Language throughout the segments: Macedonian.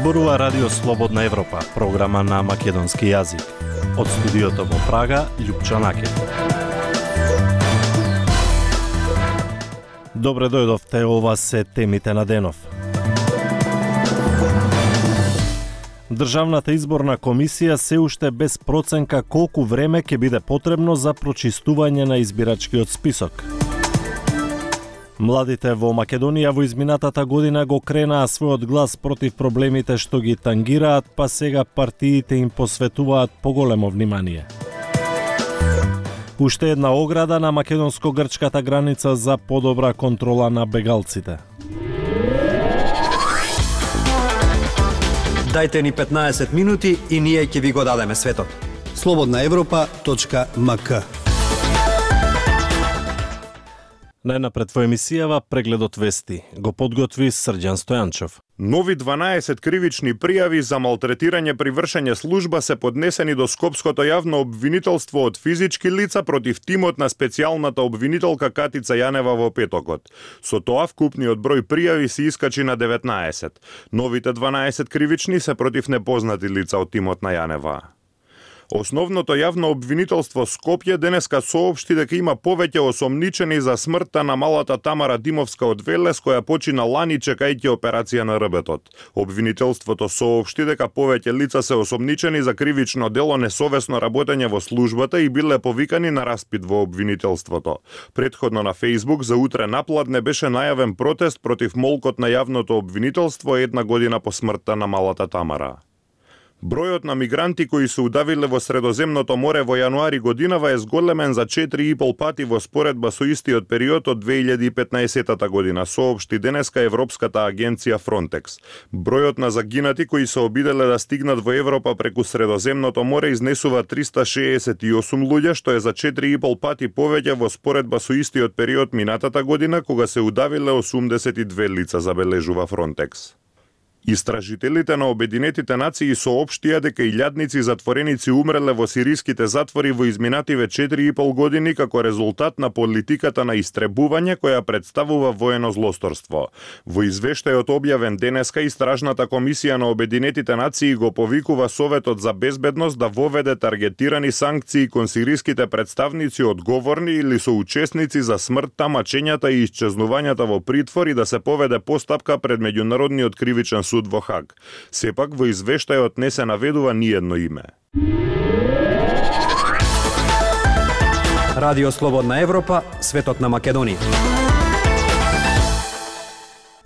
Зборува Радио Слободна Европа, програма на македонски јазик. Од студиото во Прага, Љупчо Накев. Добре дојдовте, ова се темите на денов. Државната изборна комисија се уште без проценка колку време ќе биде потребно за прочистување на избирачкиот список. Младите во Македонија во изминатата година го кренаа својот глас против проблемите што ги тангираат, па сега партиите им посветуваат поголемо внимание. Уште една ограда на македонско-грчката граница за подобра контрола на бегалците. Дајте ни 15 минути и ние ќе ви го дадеме светот. slobodnaevropa.mk. Најнапред во емисијава прегледот вести го подготви Срđan Стојанчов. Нови 12 кривични пријави за малтретирање при вршење служба се поднесени до Скопското јавно обвинителство од физички лица против тимот на специјалната обвинителка Катица Јанева во петокот. Со тоа вкупниот број пријави се искачи на 19. Новите 12 кривични се против непознати лица од тимот на Јанева. Основното јавно обвинителство Скопје денеска соопшти дека има повеќе осомничени за смртта на малата Тамара Димовска од Велес, која почина лани чекајќи операција на рбетот. Обвинителството соопшти дека повеќе лица се осомничени за кривично дело несовесно работење во службата и биле повикани на распит во обвинителството. Претходно на Facebook за утре напладне беше најавен протест против молкот на јавното обвинителство една година по смртта на малата Тамара. Бројот на мигранти кои се удавиле во Средоземното море во јануари годинава е зголемен за 4,5 пати во споредба со истиот период од 2015 година, соопшти денеска Европската агенција Frontex. Бројот на загинати кои се обиделе да стигнат во Европа преку Средоземното море изнесува 368 луѓе, што е за 4,5 пати повеќе во споредба со истиот период минатата година, кога се удавиле 82 лица, забележува Frontex. Истражителите на Обединетите нации соопштија дека илјадници затвореници умреле во сириските затвори во изминативе 4,5 години како резултат на политиката на истребување која представува воено злосторство. Во извештајот објавен денеска, Истражната комисија на Обединетите нации го повикува Советот за безбедност да воведе таргетирани санкции кон сириските представници одговорни или соучесници за смртта, мачењата и исчезнувањата во притвор и да се поведе постапка пред Меѓународниот кривичен суд во Хаг. Сепак во извештајот не се наведува ниедно име. Радио Слободна Европа, светот на Македонија.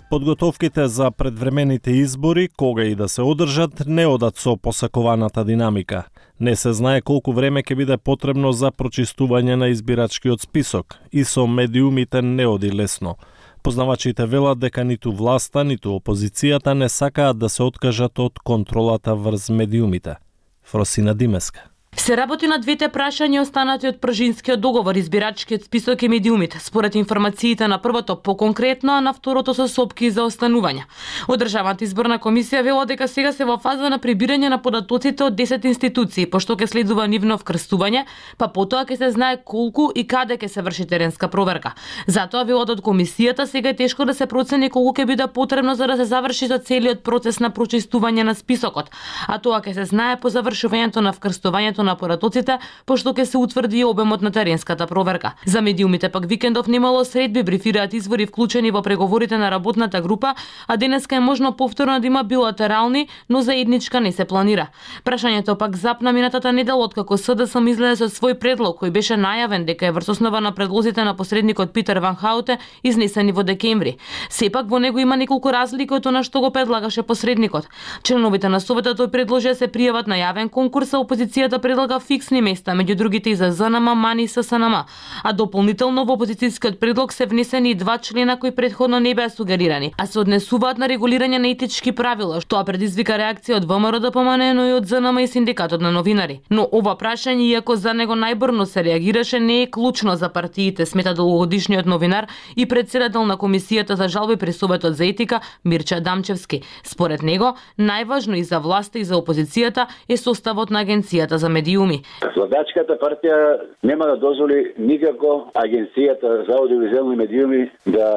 Подготовките за предвремените избори, кога и да се одржат, не одат со посакуваната динамика. Не се знае колку време ќе биде потребно за прочистување на избирачкиот список и со медиумите не оди лесно. Познавачите велат дека ниту власта, ниту опозицијата не сакаат да се откажат од контролата врз медиумите. Фросина Димеска. Се работи на двете прашања останати од пржинскиот договор, избирачкиот список и медиумите, според информациите на првото поконкретно, а на второто со сопки за останување. Од Државната изборна комисија вело дека сега се во фаза на прибирање на податоците од 10 институции, пошто ќе следува нивно вкрстување, па потоа ќе се знае колку и каде ќе се врши теренска проверка. Затоа велот од комисијата сега е тешко да се процени колку ќе биде потребно за да се заврши со целиот процес на прочистување на списокот, а тоа ќе се знае по завршувањето на вкрстувањето на податоците, пошто ќе се утврди обемот на теренската проверка. За медиумите пак викендов немало средби, брифираат извори вклучени во преговорите на работната група, а денеска е можно повторно да има билатерални, но заедничка не се планира. Прашањето пак запна минатата недела откако СДСМ излезе со свој предлог кој беше најавен дека е врз основа на предлозите на посредникот Питер Ван Хауте изнесени во декември. Сепак во него има неколку разлики од она што го предлагаше посредникот. Членовите на Советот тој предложи да се пријават на јавен конкурс, а опозицијата предлага фиксни места, меѓу другите и за ЗНМ, МАН и ССНМ. А дополнително во опозицијскиот предлог се внесени и 2 члена кои претходно не беа сугерирани, а се однесуваат на регулирање на етички правила, што предизвика реакција од ВМРО ДПМН, но и од ЗНМ и синдикатот на новинари. Но ова прашање, иако за него најбрзо се реагираше, не е клучно за партиите, смета долгогодишниот новинар и претседател на комисијата за жалби при Советот за етика Мирча Дамчевски. Според него, најважно и за власта и за опозицијата е составот на агенцијата за медиуми. Владачката партија нема да дозволи никако агенцијата за аудиовизуелни медиуми да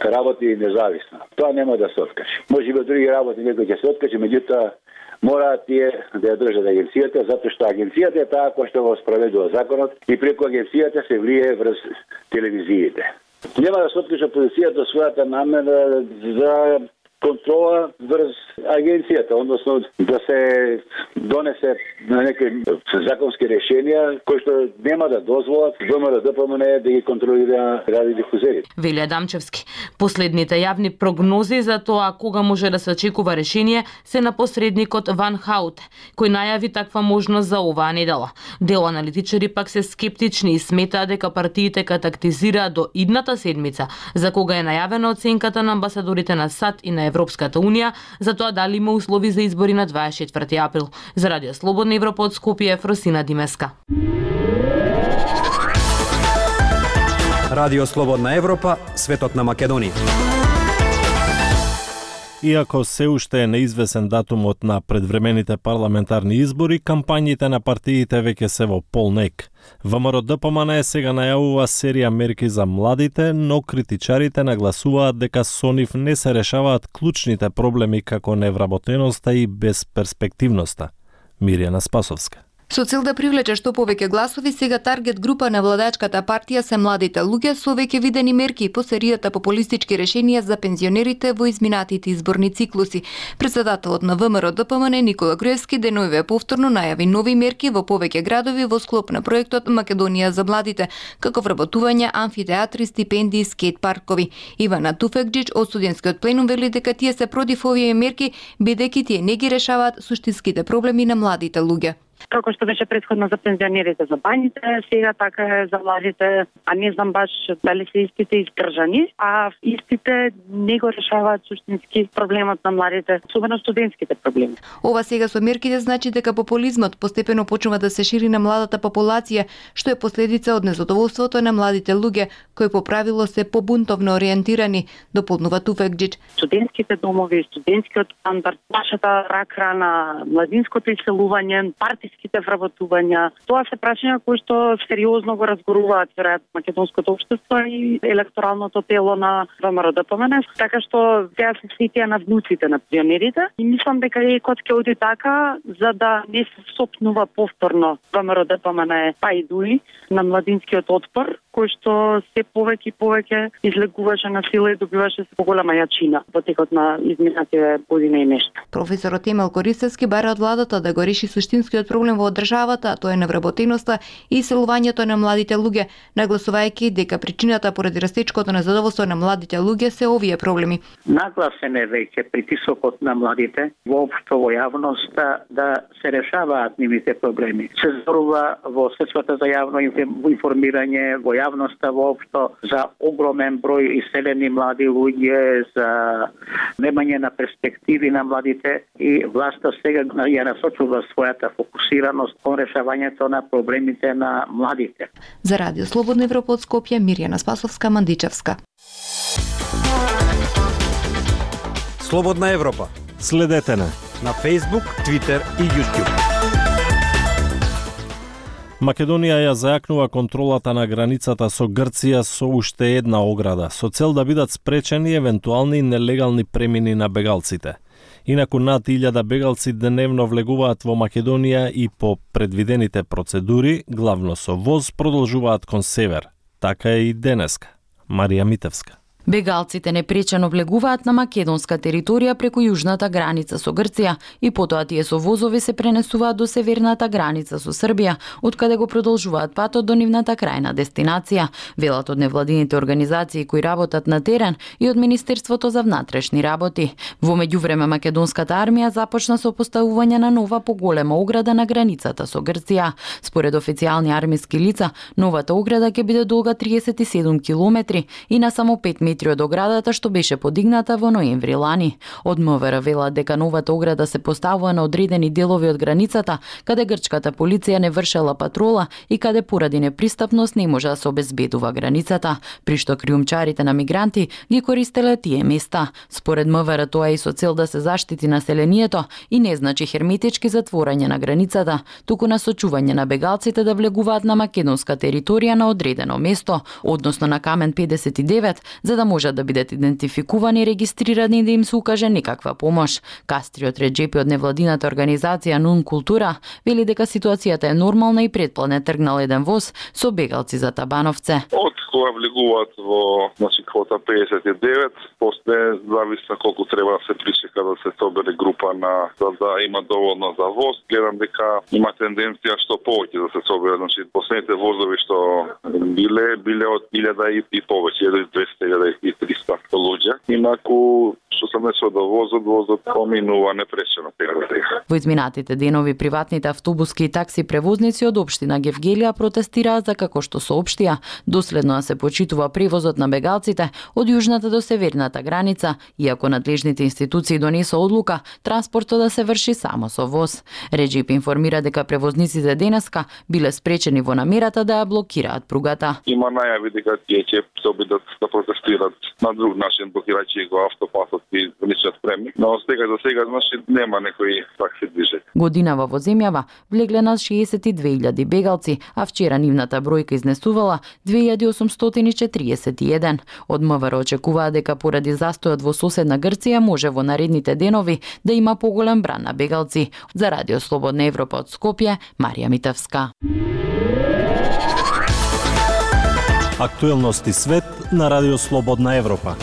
работи независно. Тоа нема да се откаже. Може би други работи некој ќе се откаже, меѓутоа мора тие да ја држат агенцијата, затоа што агенцијата е таа која што го спроведува законот и преку агенцијата се влие врз телевизиите. Нема да се откаже полицијата својата намера за контрола врз агенцијата, односно да се донесе на некои законски решенија кои што нема да дозволат ВМРО-ДПМН да ги контролира радиодифузерите. Вели Адамчевски. Последните јавни прогнози за тоа кога може да се очекува решение се на посредникот Ван Хаут, кој најави таква можност за оваа недела. Дел аналитичари пак се скептични и сметаат дека партиите ка тактизираат до идната седмица, за кога е најавена оценката на амбасадорите на САД и на Европската Унија за тоа дали има услови за избори на 24 април. За Радио Слободна Европа од Скопје, Фросина Димеска. Радио Слободна Европа, светот на Македонија. Иако се уште е неизвесен датумот на предвремените парламентарни избори, кампањите на партиите веќе се во полнек. ВМРО-ДПМН сега најавува серија мерки за младите, но критичарите нагласуваат дека со нив не се решаваат клучните проблеми како невработеноста и безперспективноста. Мирјана Спасовска. Со цел да привлече што повеќе гласови, сега таргет група на владачката партија се младите луѓе со веќе видени мерки по серијата популистички решенија за пензионерите во изминатите изборни циклуси. Претседателот на ВМРО-ДПМН Никола Груевски деновиве повторно најави нови мерки во повеќе градови во склоп на проектот Македонија за младите, како вработување, амфитеатри, стипендии, скейт паркови. Ивана Туфекџич од студентскиот пленум вели дека тие се против овие мерки, бидејќи тие не ги решаваат суштинските проблеми на младите луѓе. Како што беше претходно за пензионерите за бањите, сега така е за младите, а не знам баш дали се истите издржани, а истите не го решаваат суштински проблемот на младите, особено студентските проблеми. Ова сега со мерките значи дека популизмот постепено почнува да се шири на младата популација, што е последица од незадоволството на младите луѓе, кои по правило се побунтовно ориентирани, дополнува Туфекџич. Студентските домови, студентскиот стандард, нашата рак-рана, младинското иселување, партиските вработувања. Тоа се прашања кои што сериозно го разгоруваат веројатно македонското општество и електоралното тело на ВМРО-ДПМН, така што сега се сетија на внуците на пензионерите и мислам дека екот ќе оди така за да не се сопнува повторно ВМРО-ДПМН па и дуи на младинскиот отпор, кој што се повеќе и повеќе излегуваше на сила и добиваше се поголема јачина во текот на изминатите година и нешто. Професорот Емил Користевски бара од владата да го реши суштинскиот проблем во државата, а тоа е невработеноста и иселувањето на младите луѓе, нагласувајќи дека причината поради растечкото незадоволство на младите луѓе се овие проблеми. Нагласен е веќе притисокот на младите воопшто во јавноста да се решаваат нивните проблеми. Се зборува во средствата за јавно информирање, во јавноста воопшто за огромен број иселени млади луѓе, за немање на перспективи на младите и власта сега ја насочува својата фокусираност кон решавањето на проблемите на младите. За Радио Слободна Европа од Скопје, Мирјана Спасовска, Мандичевска. Слободна Европа. Следете на Facebook, Twitter и YouTube. Македонија ја зајакнува контролата на границата со Грција со уште една ограда, со цел да бидат спречени евентуални нелегални премини на бегалците. Инаку над 1000 бегалци дневно влегуваат во Македонија и по предвидените процедури, главно со воз, продолжуваат кон север. Така е и денеска. Марија Митевска. Бегалците непречено влегуваат на македонска територија преку јужната граница со Грција и потоа тие со возови се пренесуваат до северната граница со Србија, откаде го продолжуваат патот до нивната крајна дестинација, велат од невладините организации кои работат на терен и од Министерството за внатрешни работи. Во меѓувреме македонската армија започна со поставување на нова поголема ограда на границата со Грција. Според официјални армиски лица, новата ограда ќе биде долга 37 километри и на само 5 метри метри од оградата што беше подигната во ноември лани. Од МВР велат дека новата ограда се поставува на одредени делови од границата, каде грчката полиција не вршела патрола и каде поради непристапност не може да се обезбедува границата, при што криумчарите на мигранти ги користеле тие места. Според МВР тоа е и со цел да се заштити населението и не значи херметички затворање на границата, туку насочување на бегалците да влегуваат на македонска територија на одредено место, односно на Камен 59, за да можат да бидат идентификувани и регистрирани и да им се укаже некаква помош. Кастриот Реджепи од невладината организација Нун Култура вели дека ситуацијата е нормална и предплане тргнал еден воз со бегалци за Табановце. Од кога влегуваат во квота 59, после зависи колку треба да се причека да се собере група за да има доволно за воз. Гледам дека има тенденција што повеќе да се собере, последните возови што биле од 1000 и повеќе, 1200 и 300 луѓе. Инаку што се месо до возот поминува непречено сега. Во изминатите денови приватните автобуски и такси превозници од општина Гевгелија протестираат за како што соопштија, доследно се почитува превозот на бегалците од јужната до северната граница, иако надлежните институции донесоа одлука транспортот да се врши само со воз. Реджип информира дека превозниците денеска биле спречени во намерата да ја блокираат пругата. Има најави дека тие ќе се обидат да протестират на друг начин, блокирајќи го автопасот и граничниот премник, но за сега нема некои такси движења. Годинава во земјава влегле на 62.000 бегалци, а вчера нивната бројка изнесувала 2841. Од МВР очекуваат дека поради застојот во соседна Грција може во наредните денови да има поголем бран на бегалци. За Радио Слободна Европа од Скопје, Марија Митевска. Актуелности свет на Радио Слободна Европа.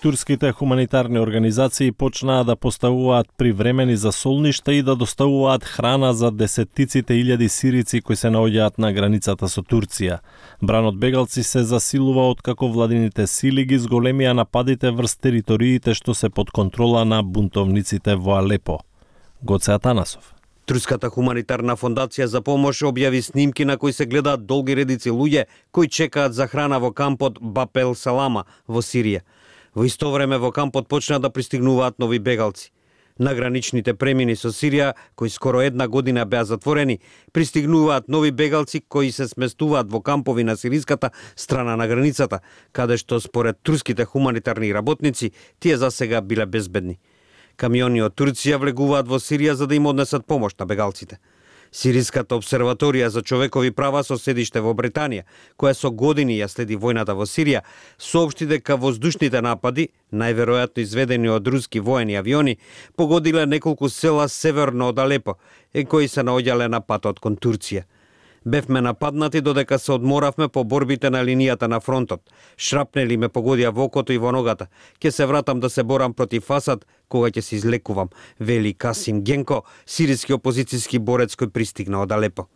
Турските хуманитарни организации почнаа да поставуваат привремени засолништа и да доставуваат храна за десеттиците илјади сирици кои се наоѓаат на границата со Турција. Бранот бегалци се засилува откако владините сили ги зголемија нападите врз териториите што се под контрола на бунтовниците во Алепо. Гоце Атанасов. Турската хуманитарна фондација за помош објави снимки на кои се гледаат долги редици луѓе кои чекаат за храна во кампот Баб ел Салама во Сирија. Во исто време во кампот почна да пристигнуваат нови бегалци. На граничните премини со Сирија, кои скоро една година беа затворени, пристигнуваат нови бегалци кои се сместуваат во кампови на сириската страна на границата, каде што според турските хуманитарни работници тие засега биле безбедни. Камиони од Турција влегуваат во Сирија за да им однесат помош на бегалците. Сириската обсерваторија за човекови права со седиште во Британија, која со години ја следи војната во Сирија, соопшти дека воздушните напади, најверојатно изведени од руски воени авиони, погодиле неколку села северно од Алепо, кои се наоѓале на патот кон Турција. Бевме нападнати додека се одморавме по борбите на линијата на фронтот. Шрапнели ме погодија во окото и во ногата. Ке се вратам да се борам против Асад кога ќе се излекувам, вели Касим Генко, сириски опозицијски борец кој пристигна од Алепо.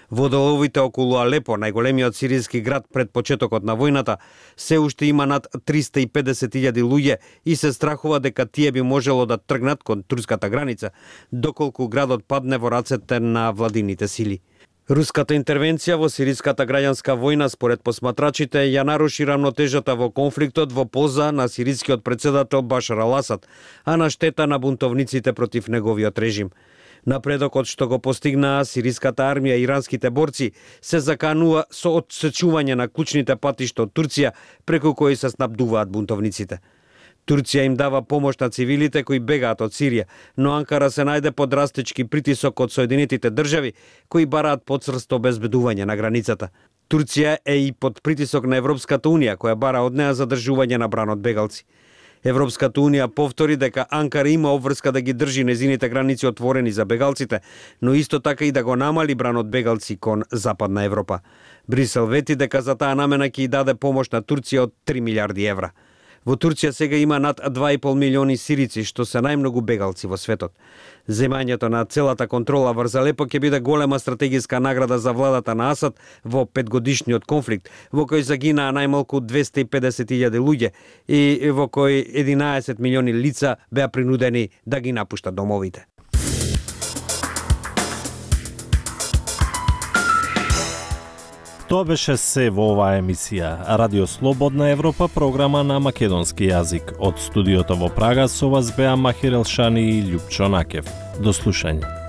Во деловите околу Алепо, најголемиот сириски град пред почетокот на војната, се уште има над 350.000 луѓе и се страхува дека тие би можело да тргнат кон турската граница, доколку градот падне во рацете на владините сили. Руската интервенција во сириската граѓанска војна според посматрачите ја наруши рамнотежата во конфликтот во полза на сирискиот председател Башар ал Асад, а на штета на бунтовниците против неговиот режим. Напредокот што го постигнаа сириската армија и иранските борци се заканува со отсечување на клучните патишта од Турција преку кои се снабдуваат бунтовниците. Турција им дава помош на цивилите кои бегаат од Сирија, но Анкара се најде под растечки притисок од Соединетите држави кои бараат подсрсто обезбедување на границата. Турција е и под притисок на Европската унија која бара од неа задржување на бранот бегалци. Европската унија повтори дека Анкара има обврска да ги држи незините граници отворени за бегалците, но исто така и да го намали бранот бегалци кон Западна Европа. Брисел вети дека за таа намена ќе даде помош на Турција од 3 милиарди евра. Во Турција сега има над 2,5 милиони сирици, што се најмногу бегалци во светот. Земањето на целата контрола врз Алепо ќе биде голема стратегиска награда за владата на Асад во 5-годишниот конфликт, во кој загинаа најмалку 250.000 луѓе и во кој 11 милиони лица беа принудени да ги напуштат домовите. Тоа беше се во оваа емисија. Радио Слободна Европа, програма на македонски јазик. Од студиото во Прага со вас беа Махир Елшани и Љупчо Накев. До слушање.